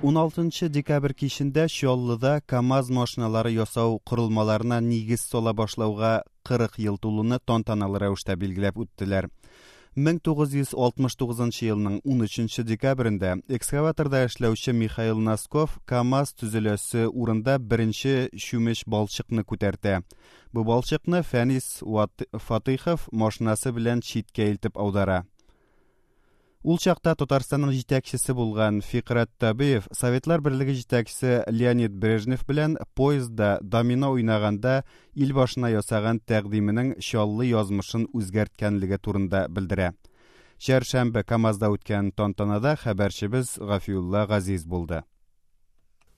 16 декабрь кичендә Чаллыда КАМАЗ машиналары ясау корылмаларына нигез сала башлауга 40 ел тулуны тантаналы рәвештә билгеләп үттеләр. 1969 елның 13 декабрендә экскаваторда эшләүче Михаил Носков КАМАЗ төзеләсе урында беренче чүмеч балчыкны күтәртә. Бу балчыкны Фәнис Фатыйхов машинасы белән читкә илтеп аудара. Ул чакта Татарстанның җитәкчесе булган Фикрәт Табиев Советлар Берлеге җитәкчесе Леонид Брежнев белән поездда домино уйнаганда ил башына ясаган тәкъдименең Чаллы язмышын үзгәрткәнлеге турында белдерә. Чәршәмбе КАМАЗда үткән тантанада хәбәрчебез Гафиулла Газиз булды.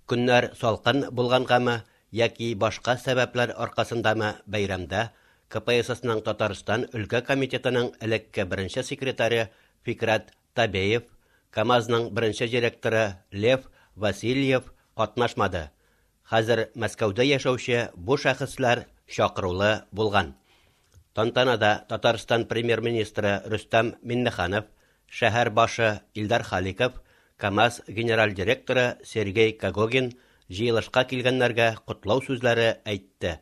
Көннәр салкын булгангамы яки башка сәбәпләр аркасындамы бәйрәмдә КПССның Татарстан өлкә комитетының элекке беренче секретаре Фикрәт Табеев, КАМАЗның беренче директоры Лев Васильев катнашмады. Хәзер Мәскәүдә яшәүче бу шәхесләр чакырулы булган. Тантанада Татарстан премьер-министры Рөстәм Миннеханов, шәһәр башы Илдар Халиков, КАМАЗ генераль директоры Сергей Когогин җыелышка килгәннәргә котлау сүзләре әйтте.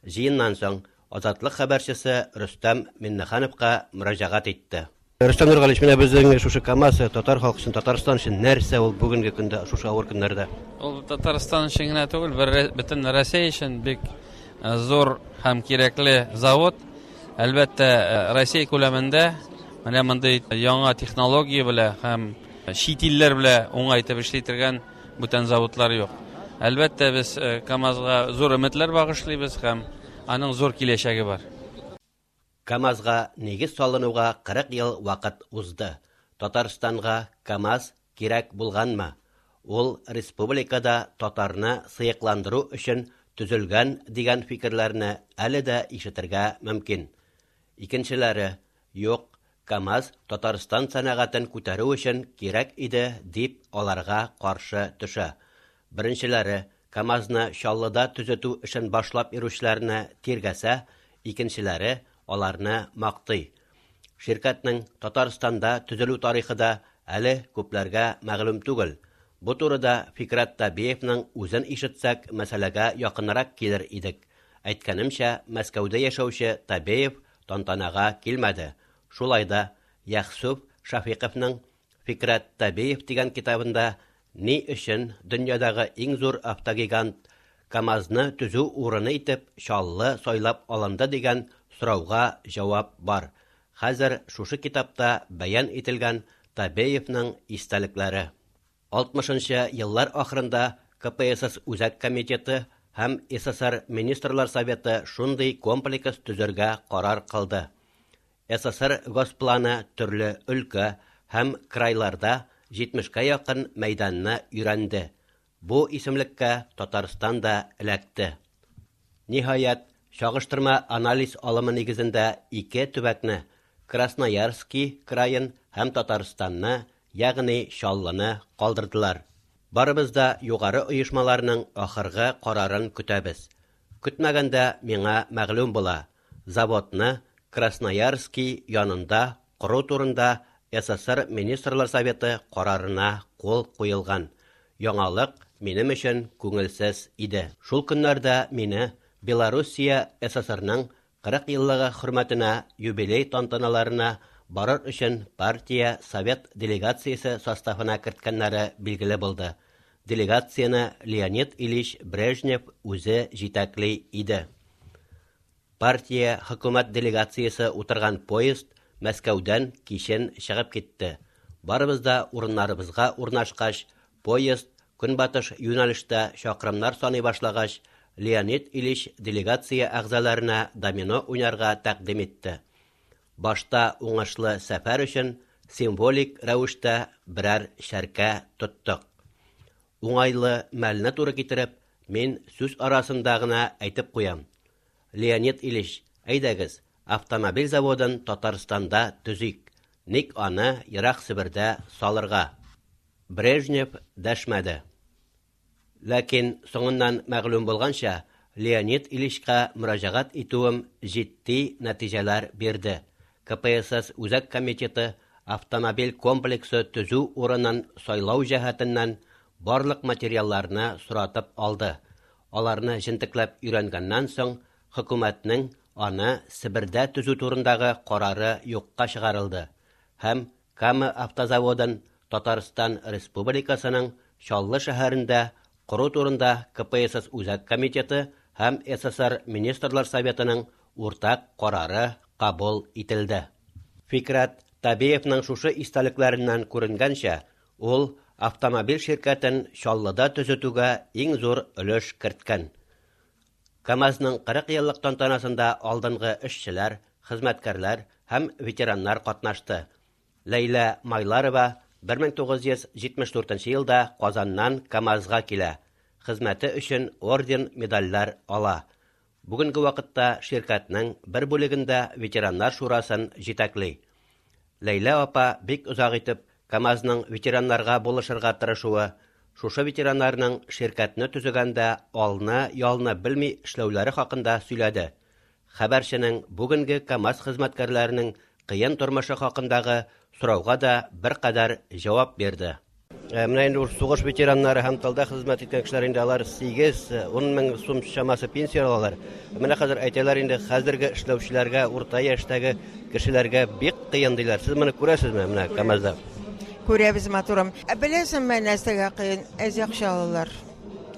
Җыеннан соң Азатлык хәбәрчесе Рөстәм Миннехановка мөрәҗәгать итте. Рөстәм Нургалиевич, менә безнең шушы КАМАЗ татар халкы өчен, Татарстан өчен нәрсә ул бүгенге көндә, шушы авыр көннәрдә? Ул Татарстан өчен генә түгел, бер бөтен Россия өчен бик зур һәм кирәкле завод. Әлбәттә, Россия күләмендә менә мондый яңа технология белән һәм чит илләр белән уңай итеп эшли торган бүтән заводлар юк. Әлбәттә, без КАМАЗга зур өметләр багышлыйбыз һәм аның зур киләчәге бар. КАМАЗга нигез салынуга 40 ел вакыт узды. Татарстанга КАМАЗ кирәк булганмы? Ул республикада татарны сыекландыру өчен төзелгән дигән фикерләрне әле дә ишетергә мөмкин. Икенчеләре, юк, КАМАЗ Татарстан сәнәгатен күтәрү өчен кирәк иде дип аларга каршы төшә. Беренчеләре КАМАЗны Чаллыда төзетү эшен башлап йөрүчеләрне тиргәсә, икенчеләре аларны мактый. Ширкәтнең Татарстанда төзелү тарихы да әле күпләргә мәгълүм түгел. Бу турыда Фикрәт Табиевның үзен ишетсәк, мәсьәләгә якынрак килер идек. Әйткәнемчә, Мәскәүдә яшәүче Табеев тантанага килмәде. Шулай да Яхсүп Шафиковның Фикрәт Табеев дигән китабында ни өчен дөньядагы иң зур автогигант КАМАЗны төзү урыны итеп Чаллы сайлап алынды дигән сорауга җавап бар. Хәзер шушы китапта бәян ителгән Табеевның истәлекләре. 60 нчы еллар ахырында КПСС Үзәк комитеты һәм СССР Министрлар Советы шундый комплекс төзергә карар кылды. СССР Госпланы төрле өлкә һәм крайларда 70кә якын мәйданны өйрәнде. Бу исемлеккә Татарстан да эләкте. Ниһаять, чагыштырма анализ алымы нигезендә ике төбәкне, Красноярский краен һәм Татарстанны, ягъни Чаллыны калдырдылар. Барыбыз да югары оешмаларның ахыргы карарын көтәбез. Көтмәгәндә миңа мәгълүм була, заводны Красноярский янында кору турында СССР Министрлар Советы карарына кул куелган. Яңалык минем өчен күңелсез иде. Шул көннәрдә мине Белоруссия ССРның 40 еллыгы хөрмәтенә юбилей тантаналарына барыр өчен партия совет делегациясе составына керткәннәре билгеле булды. Делегацияне Леонид Ильич Брежнев үзе җитәкли иде. Партия хөкүмәт делегациясе утырган поезд Мәскәүдән кичен чыгып китте. Барыбыз да урыннарыбызга урнашкач, поезд көнбатыш юнәлештә чакрымнар саный башлагач, Леонид Ильич делегация әгъзаларына домино уйнарга тәкъдим итте. Башта уңышлы сәфәр өчен символик рәвештә берәр чәркә тоттык. Уңайлы мәлне туры китереп, мин сүз арасында гына әйтеп куям. Леонид Ильич, әйдәгез, автомобиль заводын Татарстанда төзик. Ник аны ерак Себердә салырга? Брежнев дәшмәде. Ләкин соңыннан мәгълүм булганча, Леонид Ильичка мөрәҗәгать итүем җитди нәтиҗәләр бирде. КПСС Үзәк комитеты автомобиль комплексы төзү урынын сайлау җәһәтеннән барлык материалларны соратып алды. Аларны җентекләп өйрәнгәннән соң, хөкүмәтнең аны Себердә төзү турындагы карары юкка чыгарылды һәм Кама автозаводын Татарстан Республикасының Чаллы шәһәрендә кору турында КПСС Үзәк комитеты һәм СССР Министрлар Советының уртак карары кабул ителде. Фикрәт Табиевның шушы истәлекләреннән күренгәнчә, ул автомобиль ширкәтен Чаллыда төзетүгә иң зур өлеш керткән. КАМАЗның 40 еллык тантанасында алдынгы эшчеләр, хезмәткәрләр һәм ветераннар катнашты. Ләйлә Майларова 1974 елда Казаннан КАМАЗга килә. Хезмәте өчен орден-медальләр ала. Бүгенге вакытта ширкәтнең бер бүлегендә ветераннар шурасын җитәкли. Ләйлә апа бик озак итеп КАМАЗның ветераннарга булышырга тырышуы, шушы ветераннарның ширкәтне төзегәндә алны-ялны белми эшләүләре хакында сөйләде. Хәбәрченең бүгенге КАМАЗ хезмәткәрләренең кыен тормышы хакындагы сорауга да беркадәр җавап бирде. Менә инде ул сугыш ветераннары һәм тылда хезмәт иткән кешеләр инде алар 8-10 мең сум чамасы пенсия алалар. Менә хәзер әйтәләр инде хәзерге эшләүчеләргә, урта яшьтәге кешеләргә бик кыен диләр. Сез моны күрәсезме менә КАМАЗда? Күрәбез, матурым. Ә беләсеңме, нәрсәгә кыен? Әз акча алалар.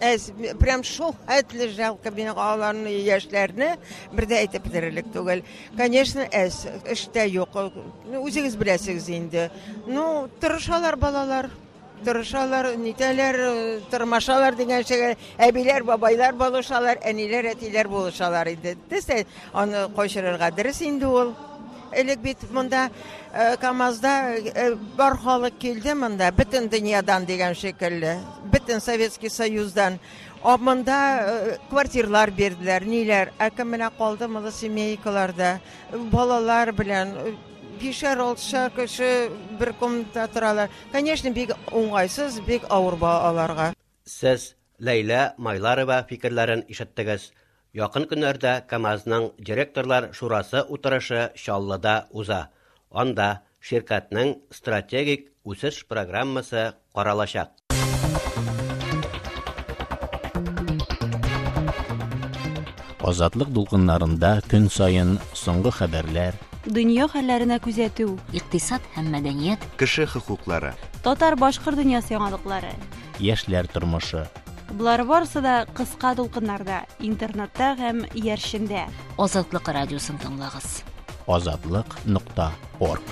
Әз, прям шул хәтле жалко миңа аларны, яшьләрне, бер дә әйтеп бетерерлек түгел. Конечно, әз, эштә юк. Үзегез беләсегез инде. Ну, тырышалар балалар. Тырышалар, нитәләр, тырмашалар дигән шикелле. Әбиләр, бабайлар булышалар, әниләр, әтиләр булышалар инде. Дөрес, аны кайчырырга дөрес инде ул. Элек бит монда КАМАЗда бар халык килде монда, бөтен дөньядан дигән шикелле, бөтен Советский Союздан. А монда квартирлар бирделәр, ниләр. Ә кем менә калды малосемейкаларда, балалар белән, бишәр, алтышар кеше бер комнатада торалар. Конечно, бик уңайсыз, бик авыр аларга. Сез Ләйлә Майларова фикерләрен ишеттегез. Якын көннәрдә КАМАЗның директорлар шурасы утырышы Чаллыда уза. Анда ширкәтнең стратегик үсеш программасы каралачак. Азатлык дулкыннарында көн саен соңгы хәбәрләр, дөнья хәлләренә күзәтү, икътисад һәм мәдәният, кеше хокуклары, татар-башкорт дөньясы яңалыклары, яшьләр тормышы. Болар барысы да кыска дулкыннарда, интернетта һәм иярчендә. Азатлык радиосын тыңлагыз. Азатлык.орг.